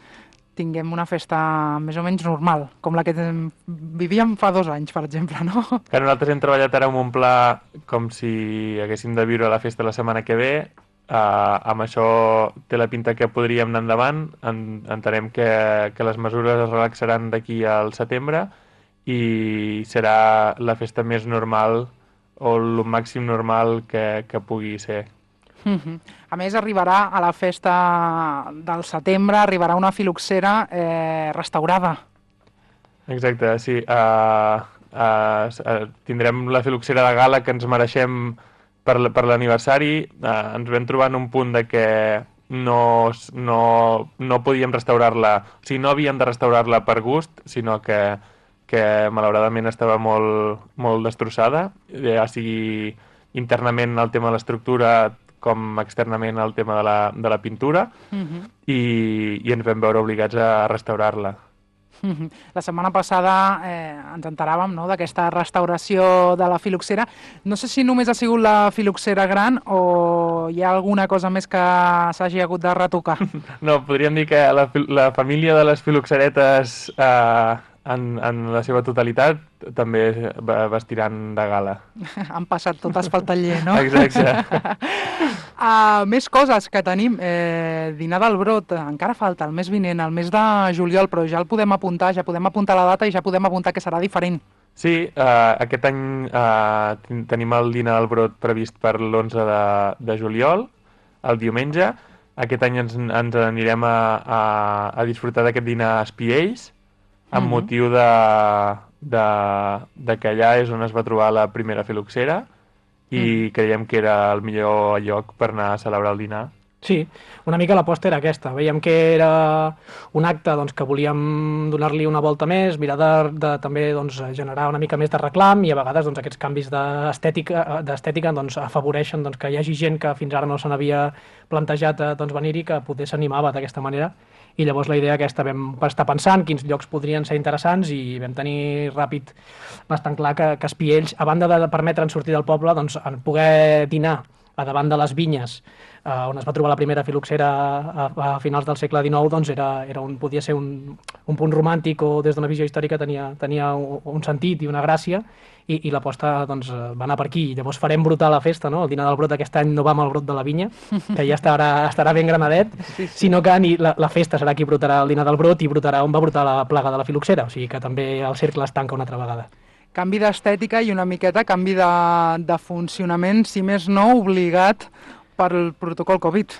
tinguem una festa més o menys normal, com la que vivíem fa 2 anys, per exemple, no? Que nosaltres hem treballat ara amb un pla com si haguéssim de viure la festa la setmana que ve. Amb això té la pinta que podríem anar endavant. Entenem que les mesures es relaxaran d'aquí al setembre i serà la festa més normal o el màxim normal que pugui ser. A més, arribarà a la festa del setembre, arribarà una Filoxera restaurada. Exacte, sí. tindrem la filoxera de gala que ens mereixem per l'aniversari. Ens vam trobar en un punt de que no podíem restaurar-la, o sigui, no havíem de restaurar-la per gust, sinó que malauradament estava molt destrossada, ja sigui internament el tema de l'estructura com externament el tema de la pintura, i ens vam veure obligats a restaurar-la. La setmana passada ens enteràvem, no?, d'aquesta restauració de la filoxera. No sé si només ha sigut la filoxera gran o hi ha alguna cosa més que s'hagi hagut de retocar. No, podríem dir que la família de les filoxeretes en la seva totalitat també vestiran de gala. Han passat totes pel taller, no? Exacte. Més coses que tenim. Dinar del Brot, encara falta el mes vinent, el mes de juliol, però ja el podem apuntar, ja podem apuntar la data i ja podem apuntar que serà diferent. Sí, aquest any tenim el Dinar del Brot previst per l'11 de juliol, el diumenge. Aquest any ens anirem a disfrutar d'aquest dinar a Espiells, amb motiu de que allà és on es va trobar la primera filoxera, i creiem que era el millor lloc per anar a celebrar el dinar. Sí, una mica l'aposta era aquesta. Veiem que era un acte que volíem donar-li una volta més, mirar de també generar una mica més de reclam, i a vegades aquests canvis d'estètica afavoreixen que hi hagi gent que fins ara no se n'havia plantejat venir-hi, que poder s'animava d'aquesta manera. I llavors la idea aquesta, vam estar pensant quins llocs podrien ser interessants i vam tenir ràpid bastant clar que Espiells, a banda de permetre'ns sortir del poble, en poder dinar a davant de les vinyes on es va trobar la primera filoxera a finals del segle XIX, podia ser un punt romàntic, o des d'una visió històrica tenia un sentit i una gràcia, i l'aposta va anar per aquí. Llavors farem brotar la festa, no? El dinar del Brot aquest any no va amb el brot de la vinya, que ja estarà ben granadet, sinó que la festa serà qui brotarà el dinar del Brot, i brotarà on va brotar la plaga de la filoxera, o sigui que també el cercle es tanca una altra vegada. Canvi d'estètica i una miqueta canvi de funcionament, si més no, obligat pel protocol Covid.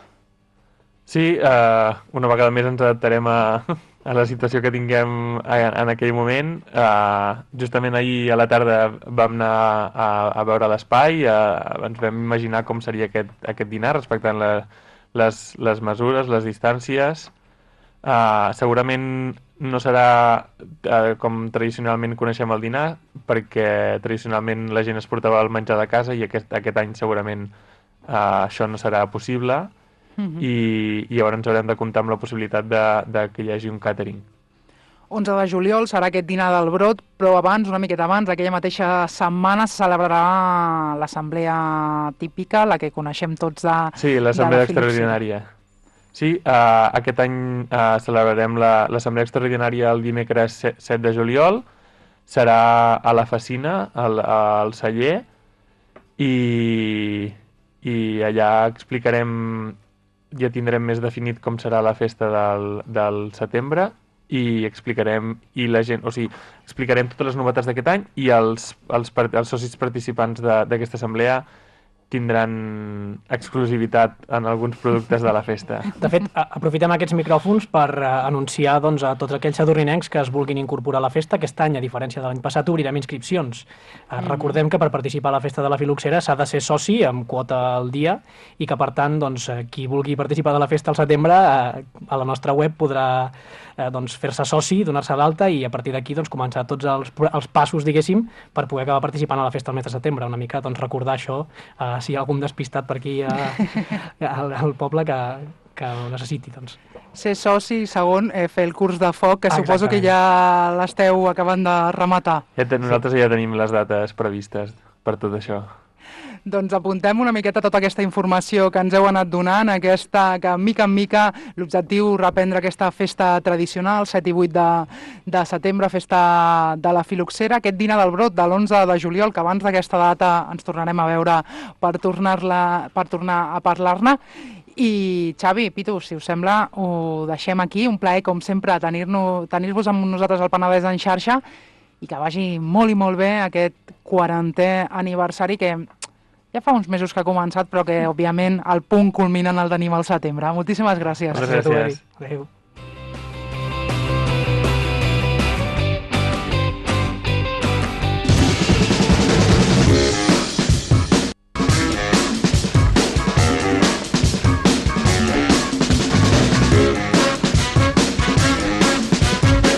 Sí, una vegada més ens adaptarem a la situació que tinguem en aquell moment. Justament ahir a la tarda vam anar a veure l'espai, ens vam imaginar com seria aquest dinar, respectant les mesures, les distàncies. Segurament no serà com tradicionalment coneixem el dinar, perquè tradicionalment la gent es portava el menjar de casa, i aquest any segurament això no serà possible, i llavors ens haurem de comptar amb la possibilitat de que hi hagi un càtering. 11 de juliol serà aquest dinar del Brot, però abans, una miqueta abans, aquella mateixa setmana se celebrarà l'assemblea típica, la que coneixem tots de... Sí, l'assemblea extraordinària. Sí, aquest any celebrarem l'assemblea extraordinària el dimecres 7 de juliol, serà a la Facina, al celler, i allà ja tindrem més definit com serà la festa del setembre, i explicarem totes les novetats d'aquest any, i els socis participants d'aquesta assemblea tindran exclusivitat en alguns productes de la festa. De fet, aprofitem aquests micròfons per anunciar a tots aquells sadurninencs que es vulguin incorporar a la festa. Aquest any, a diferència de l'any passat, obrirem inscripcions. Recordem que per participar a la festa de la filoxera s'ha de ser soci amb quota al dia, i que, per tant, qui vulgui participar de la festa al setembre, a la nostra web podrà fer-se soci, donar-se d'alta, i a partir d'aquí començar tots els passos, diguéssim, per poder acabar participant a la festa al mes de setembre. Una mica recordar això, si hi ha algun despistat per aquí al poble que ho necessiti. Ser soci, segon, fer el curs de foc, que suposo que ja l'esteu acabant de rematar. Nosaltres ja tenim les dates previstes per tot això. Doncs apuntem una miqueta tota aquesta informació que ens heu anat donant, que mica en mica l'objectiu reprendre aquesta festa tradicional, 7 i 8 de setembre, festa de la filoxera, aquest dinar del Brot de l'11 de juliol, que abans d'aquesta data ens tornarem a veure per tornar a parlar-ne. I Xavi, Pitu, si us sembla, ho deixem aquí. Un plaer, com sempre, tenir-vos amb nosaltres al Penedès en xarxa, i que vagi molt i molt bé aquest 40è aniversari, que ja fa uns mesos que ha començat, però que, òbviament, el punt culminant el tenim al setembre. Moltíssimes gràcies. Moltes gràcies. Adéu.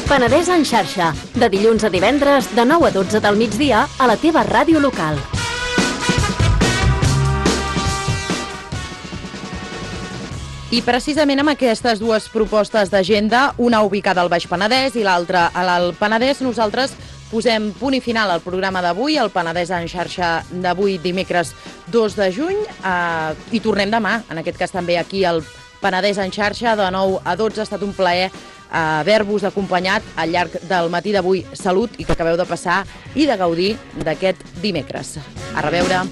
Penedès en xarxa, de dilluns a divendres, de 9 a 12 del migdia, a la teva ràdio local. I precisament amb aquestes dues propostes d'agenda, una ubicada al Baix Penedès i l'altra a l'Alt Penedès, nosaltres posem punt i final al programa d'avui, el Penedès en xarxa d'avui, dimecres 2 de juny, i tornem demà, en aquest cas també aquí al Penedès en xarxa, de 9 a 12. Ha estat un plaer haver-vos acompanyat al llarg del matí d'avui. Salut i que acabeu de passar i de gaudir d'aquest dimecres. A reveure.